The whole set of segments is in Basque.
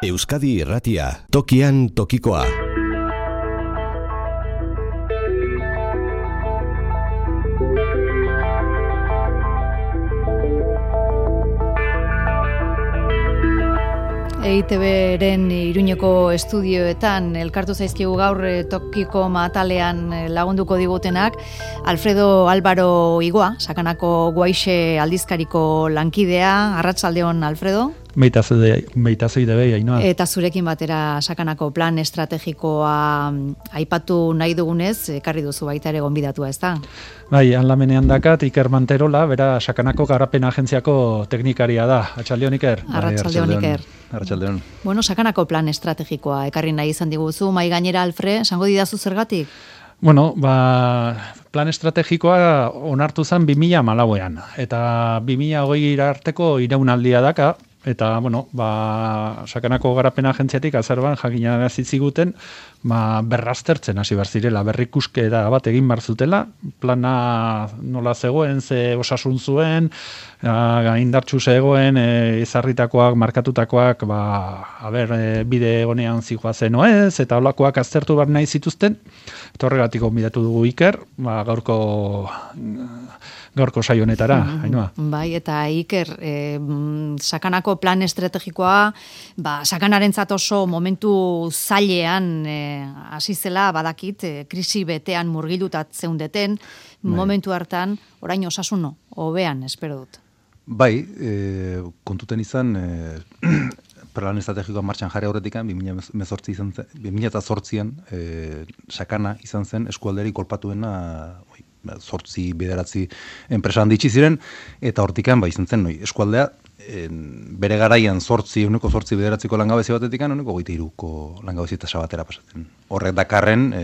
Euskadi Irratia, tokian tokikoa. EITB-ren Iruñeko estudioetan elkartu zaizkigu gaur tokiko matalean lagunduko digutenak Alfredo Álvaro Igoa, Sakanako Guaixe aldizkariko lankidea. Arratsaldeon, Alfredo. Meitazei debei, Ainhoa. Eta zurekin batera Sakanako plan estrategikoa aipatu nahi dugunez, ekarri duzu baita ere gonbidatua, ezta? Bai, hanlamenean dakat Iker Manterola, bera Sakanako Garapen Agentziako teknikaria da. Arratsaldeon, Iker. Arratsaldeon, Iker. Arratsaldeon. Bueno, Sakanako plan estrategikoa ekarri nahi izan diguzu, mai gainera, Alfred, esango didazu zergatik? Bueno, plan estrategikoa onartu zen 2014an, eta 2020 arteko iraunaldia daka, eta, bueno, Sakanako Garapen Agentziatik azarban jakinarazi ziguten, berraztertzen hasi behar zirela, berrikusketa bat egin behar zutela, plana nola zegoen, ze osasun zuen, indartsu zegoen, ezarritakoak, markatutakoak, bide honean zijoazen oez, eta holakoak aztertu behar nahi zituzten, eta horregatik gonbidatu dugu Iker, gaurko saio honetara, Ainhoa. Bai, eta Iker, Sakanako plan estrategikoa, Sakanarentzat oso momentu zailean hasi zela, badakit, krisi betean murgilutat zeundeten, momentu hartan, orain osasuno, hobean, espero dut. Bai, kontuten izan, plan estrategikoa martxan jarri aurretikan, 2008an, Sakana izan zen eskualderik kolpatuena, 8-9 enpresa handitsi ziren, eta hortikan izan zen eskualdea bere garaian 8-9 langabezi batetikan 23ko langabezi tasa batera pasatzen. Horrek dakarren,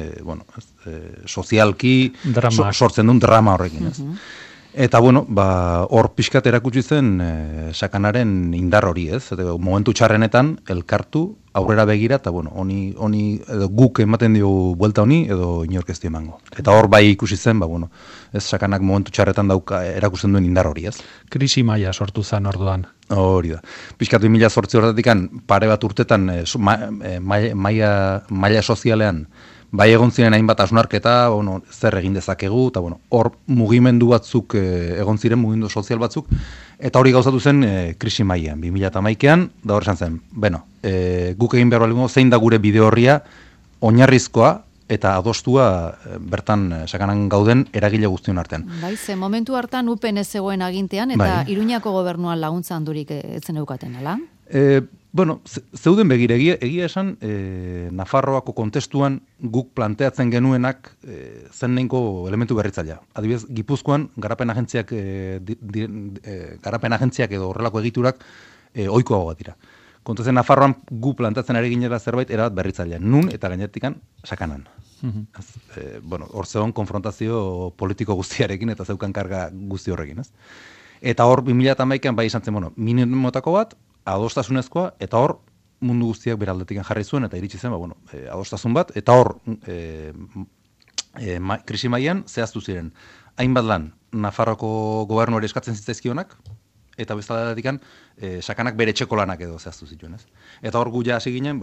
sozialki sortzen duen drama horrekin. Eta hor pixkat erakutsi zen Sakanaren indar hori, ez? Momentu txarrenetan elkartu, aurrera begira, eta honi guk ematen dio buelta honi, edo inork ez dio emango. Eta hor ikusi zen, Sakanak momentu txarretan erakusten duen indar hori, ez? Krisi maila sortu zen orduan. Hori da. Pixkat 2008 horretatik pare bat urtetan maila sozialean bai egon ziren hainbat hausnarketa, zer egin dezakegu, eta hor mugimendu batzuk egon ziren, mugimendu sozial batzuk, eta hori gauzatu zen krisi mailean, 2011an, da hor esan zen, guk egin behar balingo, zein da gure bide horria, oinarrizkoa, eta adostua bertan Sakanan gauden eragile guztion artean. Bai, ze momentu hartan UPN ez zegoen agintean, eta Iruñako gobernuan laguntza handurik etzen eukaten, ala? Zeuden begire, egia esan, Nafarroako kontestuan guk planteatzen genuenak zen neinko elementu berritzailea. Adibidez, Gipuzkoan garapen agentziak edo horrelako egiturak ohikoago bat dira. Kontuzen Nafarroan gu planteatzen ari ginera zerbait erabat berritzailea. Nun eta gainertikan Sakanan. Hor zegoen konfrontazio politiko guztiarekin eta zeukan karga guzti horrekin, ez? Eta hor 2011an izan zen, minimotako bat, adostasunezkoa, eta hor mundu guztiak beraldetik jarri zuen, eta iritsi zen, adostasun bat, eta hor krisi mailan zehaztu ziren. Hainbat lan, Nafarroko gobernuari eskatzen zitzaizkionak, eta bestaldetik Sakanak bere etxeko lanak edo zehaztu zituen, ez? Eta hor gu hasi ginen,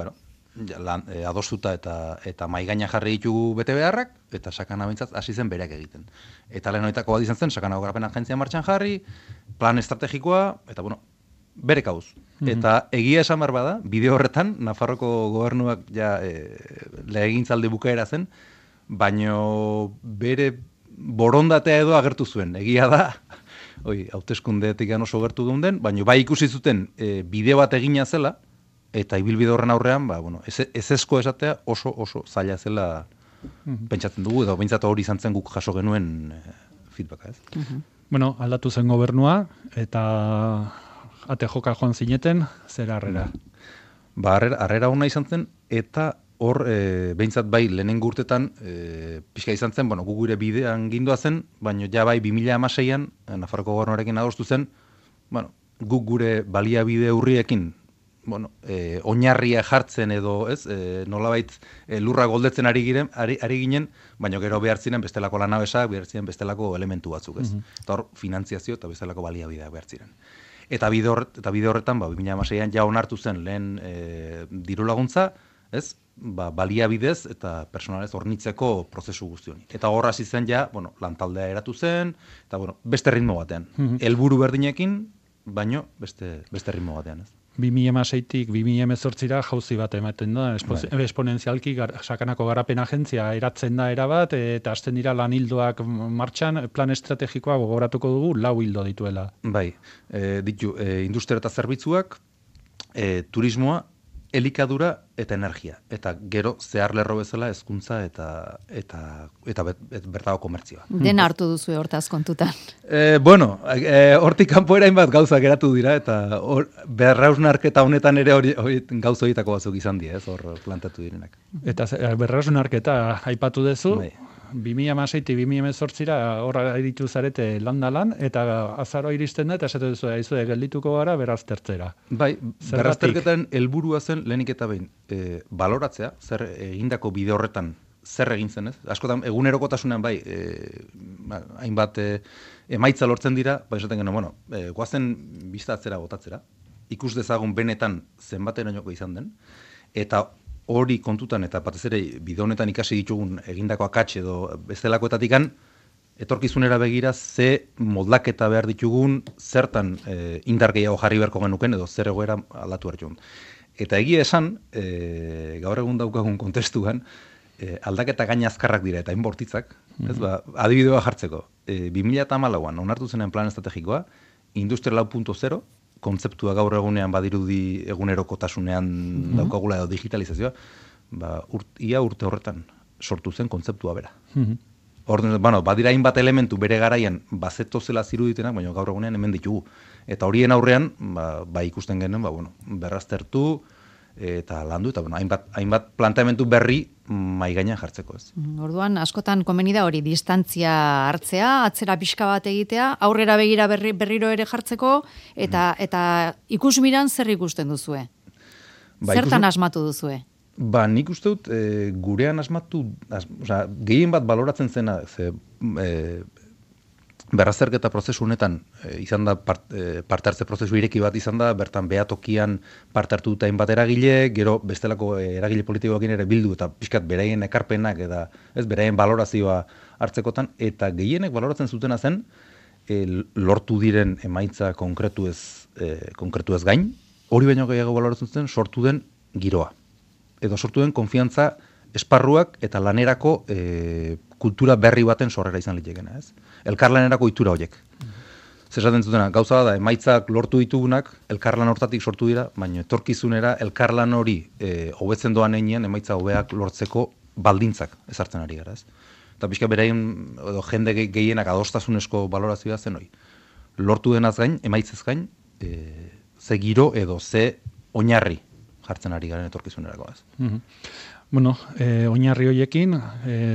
adostuta eta maigaina jarri ditugu bete beharrak, eta Sakana behintzat hasi zen bereak egiten. Eta lehen horietako bat izan zen, Sakanako Garapen Agentzia martxan jarri, plan estrategikoa, eta bere kauz. Eta egia esan behar bada, bide horretan, Nafarroko gobernuak legegintzaldi bukaera zen, baino bere borondatea edo agertu zuen. Egia da, hauteskundeetik oso gertu geunden, baino bai ikusi zuten bide bat egina zela, eta ibilbide horren aurrean, ezezko esatea oso zaila zela pentsatzen dugu, edo behintzat hori izan zen guk jaso genuen feedbacka, ez? Aldatu zen gobernua, eta ate joka joan zineten, zer harrera? Harrera hona izan zen, eta hor, behintzat bai lehenengo urtetan, pixka izan zen, gu gure bidean gindua zen, baina ja bai 2016an, Nafarroko gobernuarekin adostu zen, guk gure baliabide urriekin, oinarria jartzen edo, ez, nolabait lurra goldetzen ari ginen, baina gero behar ziren bestelako lanabesak, behar ziren bestelako elementu batzuk, ez? Eta hor, finantziazio eta bestelako baliabideak behar ziren. Eta bide horretan, 2016an ja onartu zen lehen diru laguntza, ez? Baliabidez eta personalez hornitzeko prozesu guzti honi. Eta hor hasi zen ja, lantaldea eratu zen, eta beste ritmo batean. Helburu berdinekin, baino beste ritmo batean, ez? 2016tik 2018ra jauzi bat ematen da, esponentzialki sakanako garapen agentzia eratzen da erabat, eta hasten dira lan hildoak martxan, plan estrategikoa gogoratuko dugu, 4 hildo dituela. Bai, industria eta zerbitzuak, turismoa, elikadura eta energia. Eta gero zehar lerro bezala hezkuntza eta bertago komertzioa. Dena hartu duzu hortaz kontutan. Hortik kanpoera hainbat gauza geratu dira, eta berrausnarketa honetan ere hori gauza horietako batzuk izan dira, ez, hor plantatu direnak. Eta berrausnarketa aipatu duzu, 2016 2018ra horra iritu zarete landalan, eta azaro iristen da, eta esate duzu, geldituko gara beraztertzera. Bai, berazterketan helburua zen lehenik eta behin, baloratzea, zer egindako bide horretan, zer egin zen, ez? Askotan, egunerokotasunean bai, hainbat emaitza lortzen dira, esaten genuen, goazen biztatzera botatzera, ikus dezagun benetan zenbaterainoko izan den, eta hori kontutan eta batez ere bide honetan ikasi ditugun egindako akats edo bestelakoetatikan etorkizunera begira ze moldaketa behar ditugun, zertan indar gehiago jarri beharko genuken edo zer egoera aldatu behar dugun. Eta egia esan, gaur egun daukagun kontestuan, aldaketa gaina azkarrak dira eta inbortitzak, ez adibidea jartzeko, 2014an onartu zenen plan estrategikoa, Industria 4.0, kontzeptua gaur egunean badirudi egunerokotasunean daukagula edo digitalizazioa, ia urte horretan sortu zen kontzeptua bera. Badira hainbat elementu bere garaian bazeto zela ziruditenak, baina gaur egunean hemen ditugu. Eta horien aurrean, ikusten genuen, berraztertu eta landu, eta hainbat planteamentu berri mai gainean jartzeko, ez. Orduan, askotan komeni da hori distantzia hartzea, atzera pixka bat egitea, aurrera begira berriro ere jartzeko, eta ikusmiran zer ikusten duzue? Zertan asmatu duzue? Nik uste dut, gurean asmatu, gehien bat baloratzen zena, berrazterketa prozesu honetan izan da parte hartze prozesu ireki bat izan da, bertan behatokian parte hartu dute hainbat eragile, gero bestelako eragile politikoekin ere bildu eta pixkat beraien ekarpenak eta beraien balorazioa hartzekotan, eta gehienek baloratzen zutena zen lortu diren emaitza konkretu ez gain, hori baino gehiago baloratzen zuten sortu den giroa. Edo sortu den konfiantza esparruak eta lanerako kultura berri baten sorrera izan litekena, ez? Elkarlanerako ohitura horiek. Zesaten zutena, gauza da, emaitzak lortu ditugunak, elkarlan hortatik sortu dira, baina etorkizunera elkarlan hori hobetzen doan heinean emaitza hobeak lortzeko baldintzak ezartzen ari gara, ez? Eta pixka beraien, edo jende gehienak adostasunezko balorazioa zen hori. Lortu denaz gain, emaitzez gain, ze giro edo ze oinarri jartzen ari garen etorkizunerako, ez? Oinarri horiekin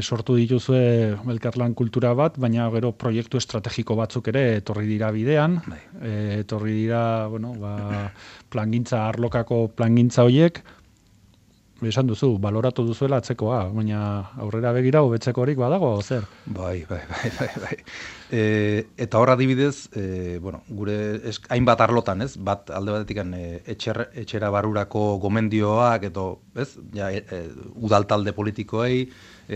sortu dituzue elkarlan kultura bat, baina gero proiektu estrategiko batzuk ere etorri dira bidean, etorri dira, plangintza, arlokako plangintza horiek, esan duzu, baloratu duzuela atzekoa, baina aurrera begira hobetzeko horik badago, zer? Bai. Eta hor adibidez, gure hainbat arlotan, ez? Bat alde batetik etxera barrurako gomendioak, edo, ez? Udaltalde politikoei,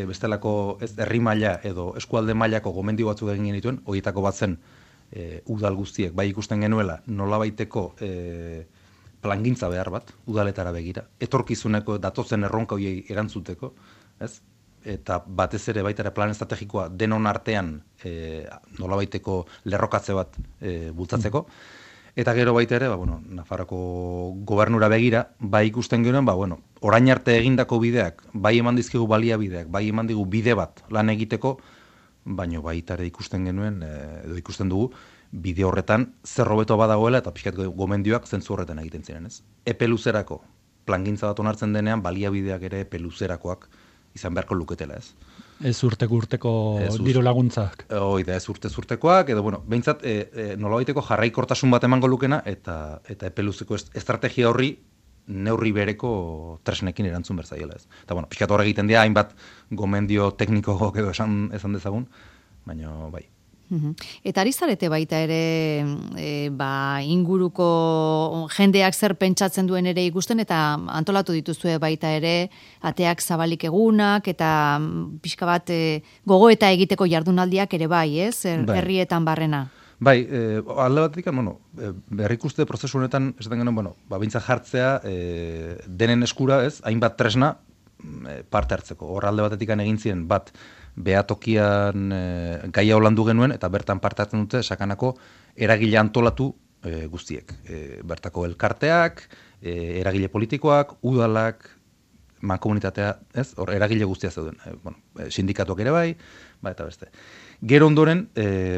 bestelako herri maila edo eskualde mailako gomendio batzuk egin genituen, horietako bat zen udal guztiek, bai ikusten genuela, nolabaiteko plangintza behar bat, udaletara begira, etorkizuneko datozen erronka horiei erantzuteko, ez? Eta batez ere baita ere plan estrategikoa denon artean nolabaiteko lerrokatze bat bultzatzeko, eta gero baita ere, Nafarroko gobernura begira, bai ikusten genuen, orain arte egindako bideak, bai eman dizkigu baliabideak, bai eman digu bide bat lan egiteko, baina baita ere ikusten genuen, edo ikusten dugu, bide horretan zer hobeto badagoela eta pixkat gomendioak zentzu horretan egiten ziren, ez? Epe luzerako plangintza bat onartzen denean baliabideak ere epe luzerakoak izan beharko luketela, ez? Ez urteko diru laguntzak. Oida, ez urtekoak, edo behintzat nolabaiteko jarraikortasun bat emango lukena eta epe luzeko estrategia horri neurri bereko tresnekin erantzun berzaiela, ez? Eta pixkat hor egiten dira hainbat gomendio tekniko edo esan dezagun, baina bai. Eta ari zarete baita ere inguruko jendeak zer pentsatzen duen ere ikusten, eta antolatu dituzue baita ere ateak zabalik egunak, eta pixka bat gogoeta egiteko jardunaldiak ere bai, ez? Herrietan barrena. Bai, alde batetik, berrikuste prozesu honetan, esaten genuen, bintza jartzea denen eskura, ez, hainbat tresna parte hartzeko. Hor alde batetik egin ziren bat, behatokian gaia holandu genuen, eta bertan parte hartzen dute sakanako eragile antolatu guztiek. Bertako elkarteak, eragile politikoak, udalak, mankomunitatea, ez? Hor eragile guztia zeuden. Sindikatuak ere bai, eta beste. Gero ondoren,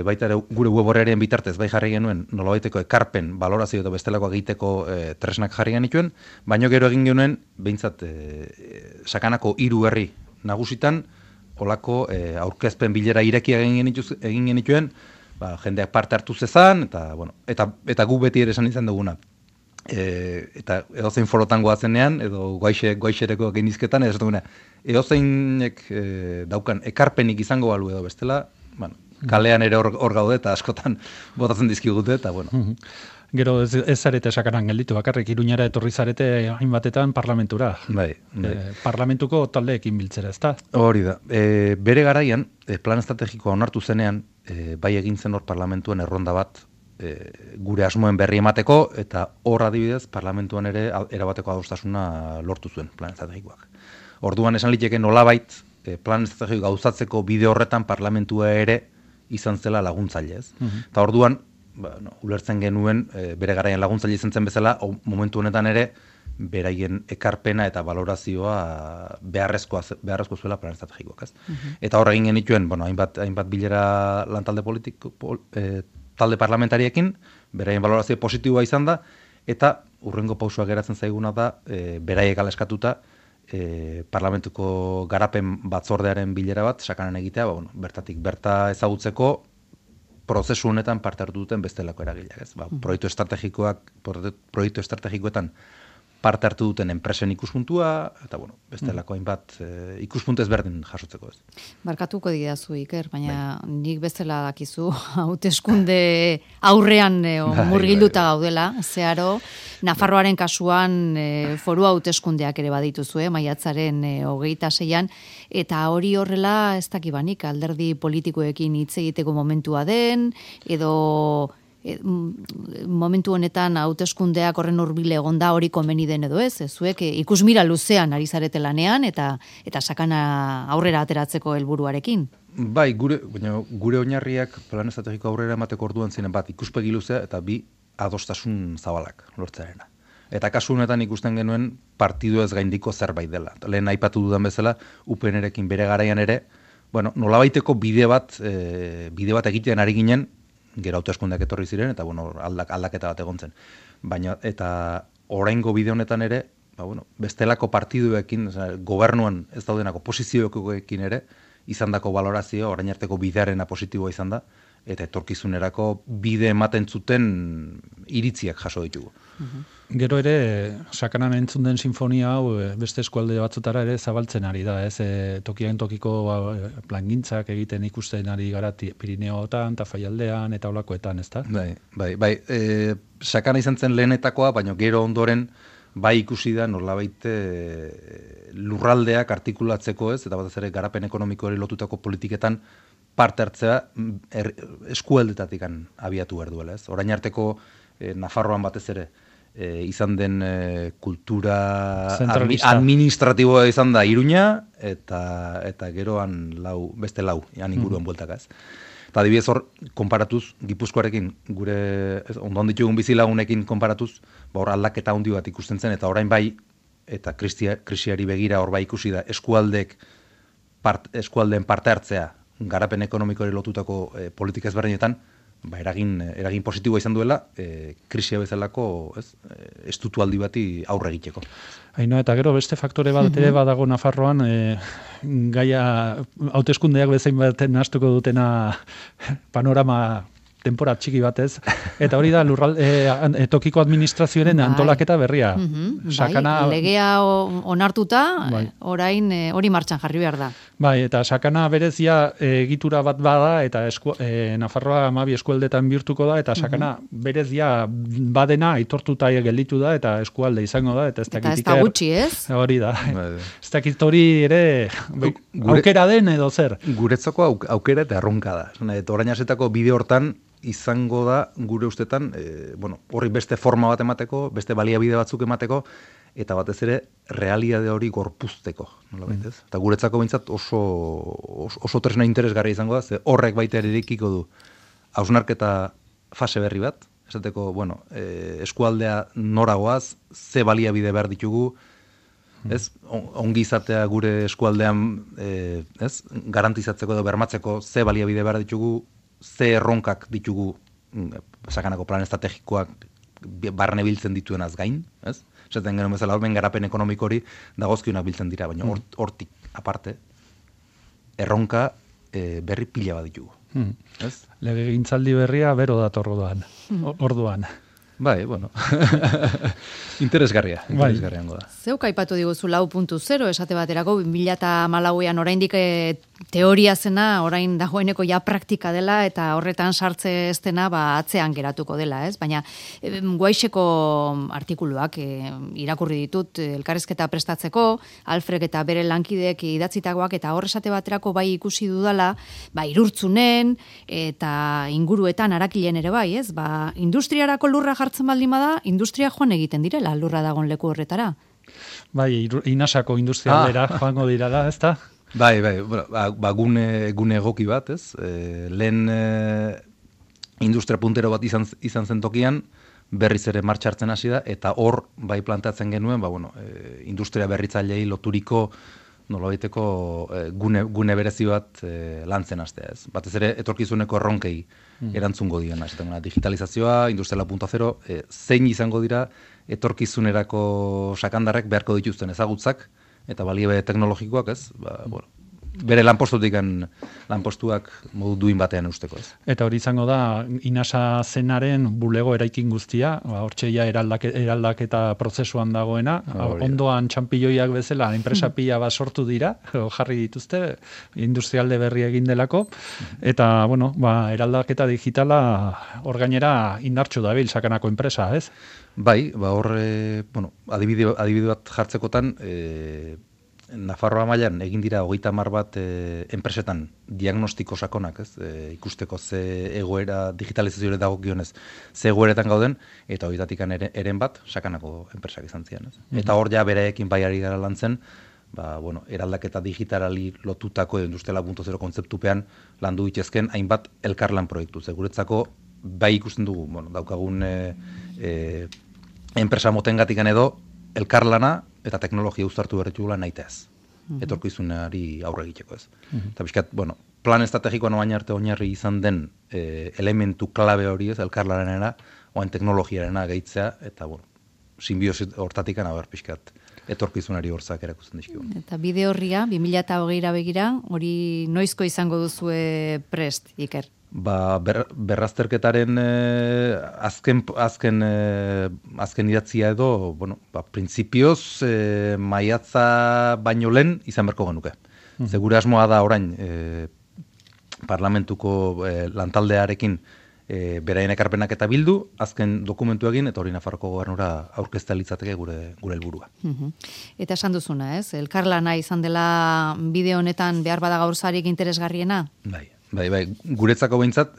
baita ere gure web horrearen bitartez bai jarri genuen nolabaiteko ekarpen, balorazio eta bestelakoa egiteko tresnak jarri genituen, baino gero egin genuen, behintzat, sakanako 3 herri nagusitan, olako aurkezpen bilera irekia egin genituen, jendeak parte hartu zezan, eta gu beti ere esan izan duguna. Eta edozein forotan goazenean, edo goaixereko genizketan, edozeinek daukan ekarpenik izango balu edo bestela, kalean ere hor gaude eta askotan botatzen dizkigute, eta Gero ez zarete sakaran gelditu, bakarrik Iruñara etorri zarete hainbatetan parlamentura. Bai. Parlamentuko taldeekin biltzera, ezta? Hori da. Bere garaian, plan estrategikoa onartu zenean, bai egin zen hor parlamentuan erronda bat, gure asmoen berri emateko, eta hor adibidez parlamentuan ere erabateko adostasuna lortu zuen plan estrategikoak. Orduan esan liteke nolabait plan estrategiko gauzatzeko bide horretan parlamentua ere izan zela laguntzaile, ez? Eta orduan, ulertzen genuen, bere garaian laguntzaile izan zen bezala, momentu honetan ere, beraien ekarpena eta valorazioa beharrezko zuela plan estrategikoak, ez? Eta hor egin genituen, hainbat bilera lantalde politiko, talde parlamentariekin, beraien valorazio positiboa izan da, eta urrengo pausua geratzen zaiguna da, beraiek aleskatuta, parlamentuko garapen batzordearen bilera bat, sakanen egitea, bertatik berta ezagutzeko, prozesu honetan parte hartu duten bestelako eragileak, ez? Proiektu estrategikoetan parte hartu duten enpresen ikuspuntua, eta bestelako hainbat ikuspuntu ezberdin jasotzeko, ez? Barkatuko didazu, Iker, baina nik bezala dakizu, hauteskunde aurrean murgilduta gaudela, zeharo, Nafarroaren kasuan foru hauteskundeak ere badituzue, maiatzaren 26an, eta hori horrela ez dakibanik alderdi politikoekin hitz egiteko momentua den, edo momentu honetan hauteskundeak horren hurbile egonda hori komeni den edo ez, zuek ikusmira luzean ari zarete lanean eta sakana aurrera ateratzeko helburuarekin. Bai, gure oinarriak plan estrategiko aurrera emateko orduan ziren bat ikuspegi luzea eta 2 adostasun zabalak lortzearena. Eta kasu honetan ikusten genuen partidu ez gaindiko zerbait dela. Lehen aipatu dudan bezala, UPN-erekin bere garaian ere, nolabaiteko bide bat egiten ari ginen, gero hauteskundeak etorri ziren, eta aldaketa bat egon zen. Baina, eta oraingo bide honetan ere, bestelako partiduekin, gobernuan ez daudenako posizioekin ere, izandako valorazio, orain arteko bidearena positiboa izan da, eta etorkizunerako bide ematen zuten iritziak jaso ditugu. Gero ere, sakanan entzun den sinfonia hau beste eskualde batzutara ere zabaltzen ari da, ez? Tokian tokiko plangintzak egiten ikusten ari gara Pirineotan, Tafaialdean eta olakoetan, ez da? Bai. Sakana izan zen lehenetakoa, baina gero ondoren bai ikusi da nolabait lurraldeak artikulatzeko, ez? Eta batez ere garapen ekonomikoari lotutako politiketan parte hartzea eskualdetatik abiatu behar duela, ez? Orain arteko Nafarroan batez ere izan den kultura administratiboa izan da Iruña eta geroan beste lau inguruan bueltaka, ez? Eta adibidez hor, konparatuz, Gipuzkoarekin, gure ondon ditugun bizilagunekin konparatuz, hor aldaketa handi bat ikusten zen, eta orain bai, eta krisiari begira hor bai ikusi da, eskualdeen parte hartzea, garapen ekonomikoari lotutako politika ezberdinetan, eragin positiboa izan duela, krisia bezalako estutualdi bati aurre egiteko. Haino, eta gero beste faktore bat ere badago Nafarroan, gaia hauteskundeak bezain baten nahastuko dutena panorama denpora txiki batez, eta hori da tokiko administrazioaren antolaketa berria. Sakana... legea onartuta, orain hori martxan jarri behar da. Bai, eta sakana berezia egitura bat bada, eta Nafarroa 12 eskualdetan bihurtuko da, eta sakana berezia badena aitortuta gelditu da, eta eskualde izango da, eta ez da gutxi, ez? Hori da. Ez dakit hori ere aukera den edo zer. Guretzako aukera eta erronka da. Eta orain asetako bide hortan izango da gure ustetan, horri beste forma bat emateko, beste baliabide batzuk emateko, eta batez ere realitate hori gorpuzteko. Eta guretzako behintzat oso tresna interesgarria izango da, ze horrek baita ere irekiko du hausnarketa fase berri bat, esateko, eskualdea noragoaz, ze baliabide behar ditugu, ongi izatea gure eskualdean garantizatzeko edo bermatzeko ze baliabide behar ditugu, ze erronkak ditugu sakanako plan estrategikoak barne biltzen dituenaz gain, ez? Esaten genuen bezala, horben garapen ekonomiko hori dagozkionak biltzen dira, baina hortik aparte, erronka berri pila bat ditugu. Legegintzaldi berria bero dator orduan. Bai, interesgarriango da. Zeuk aipatu diguzu 4.0, esate baterako, 2014an oraindik teoria zena, orain dagoeneko ja praktika dela, eta horretan sartze ez dena atzean geratuko dela, ez? Baina Guaixeko artikuluak irakurri ditut elkarrizketa prestatzeko, Alfrek eta bere lankideek idatzitakoak, eta hor esate baterako bai ikusi dudala, Irurtzunen, eta inguruetan Arakilen ere bai, ez? Industriarako lurra jartzen baldin bada, industria joan egiten direla lurra dagon leku horretara. Bai, Inasako industrialdera joango dirala, ez da? Bai, gune egoki bat, ez? Lehen industria puntero bat izan zen tokian, berriz ere martxartzen hasi da, eta hor bai planteatzen genuen, industria berritzailei loturiko nolabaiteko gune berezi bat lantzen hastea, ez? Batez ere etorkizuneko erronkei erantzungo diena, digitalizazioa, industria 4.0, zein izango dira etorkizunerako sakandarrek beharko dituzten ezagutzak eta baliabide teknologikoak, ez? Bere lanpostuak modu duin batean usteko, ez? Eta hori izango da Inasa zenaren bulego eraikin guztia, hortxeia eraldaketa prozesuan dagoena, ondoan txampilloiak bezala enpresa pila bat sortu dira, jarri dituzte, industrialde berri egin delako, eta, eraldaketa digitala hor gainera indartsu dabil sakanako enpresa, ez? Bai, hor, adibide bat jartzekotan, Nafarroa mailan egin dira 30 bat enpresetan diagnostiko sakonak, ez? Ikusteko ze egoera digitalizazioare dagokionez, ze egoeretan gauden, eta horietatik eren bat sakanako enpresak izan ziren, ez? Eta hor ja bereekin baiari gara lantzen, eraldaketa digitalari lotutako Industria 4.0 kontzeptupean landu ditezken hainbat elkarlan proiektu. Guretzako bai ikusten dugu, daukagun enpresa motengatikan edo elkarlana eta teknologia uztartu berritugula nahitez. Etorkizunari aurre egiteko, ez. Eta bizkat, plan estrategikoan oain arte oinarri izan den elementu klabe hori, ez, elkarlanera, oain teknologiarena gehitzea, eta, simbiosi hortatikan haber bizkat etorkizunari hortzak erakusten dizkigu. Eta bide horria, 2020 begira, hori noizko izango duzue prest, Iker? Berrazterketaren azken idatzia edo, printzipioz maiatza baino lehen izan berko genuke. Gure asmoa da orain parlamentuko lantaldearekin beraien ekarpenak eta bildu, azken dokumentu egin, eta hori Nafarroko gobernura aurkeztea litzateke gure helburua. Eta esan duzuna, ez? Elkarlana izan dela bide honetan behar bada gaurzarik interesgarriena? Bai, guretzako behintzat,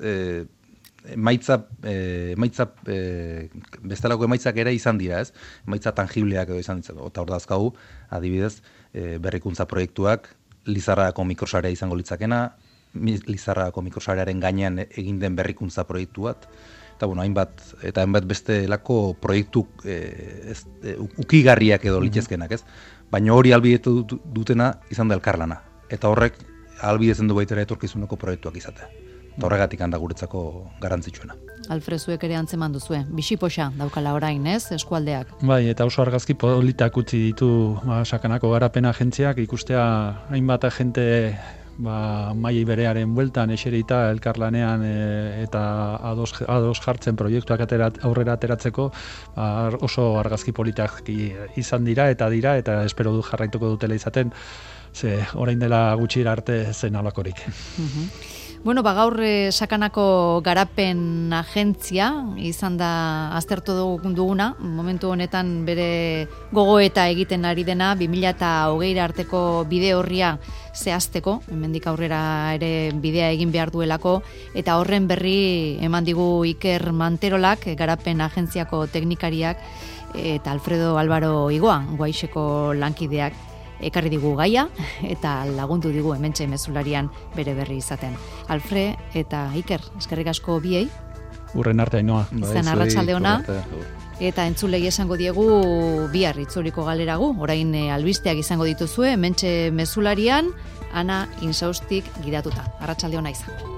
bestelako emaitzak ere izan dira, ez? Emaitza tangibleak edo izan ditzako. Eta hor dazkagu, adibidez, berrikuntza proiektuak, Lizarrako mikrosarea izango litzakena, Lizarrako mikrosarearen gainean egin den berrikuntza proiektu bat, eta hainbat bestelako proiektu ukigarriak edo litzezkenak, ez? Baina hori ahalbidetu dutena izan da elkarlana. Eta horrek ahalbidetzen du baitera etorkizuneko proiektuak izatea. Eta horregatik handa guretzako garrantzitsuena. Alfrezuek ere antzeman duzue, bisipoxa daukala orain, ez, eskualdeak? Bai, eta oso argazki politak utzi ditu sakanako garapen agentziak, ikustea hainbat agente maili berearen bueltan eserita elkarlanean eta ados jartzen proiektuak aurrera ateratzeko oso argazki politak izan dira eta espero du jarraituko dutela izaten, ze orain dela gutxira arte zen alakorik. Bueno, gaur Sakanako garapen agentzia izan da aztertu duguna, momentu honetan bere gogoeta egiten ari dena 2020 arteko bide horria zehazteko, hemendik aurrera ere bidea egin behar duelako, eta horren berri eman digu Iker Manterolak, garapen agentziako teknikariak, eta Alfredo Álvaro Igoa, Guaixeko lankideak, ekarri digu gaia eta lagundu digu hementxe mezularian bere berri izaten. Alfre eta Iker, eskerrik asko biei. Urren arte, Ainoa. Izan arratsalde ona. Eta entzulei esango diegu bihar itzuliko galeragu. Orain albisteak izango dituzue hementxe mezularian, Ana Insaustik gidatuta. Arratsalde ona izan.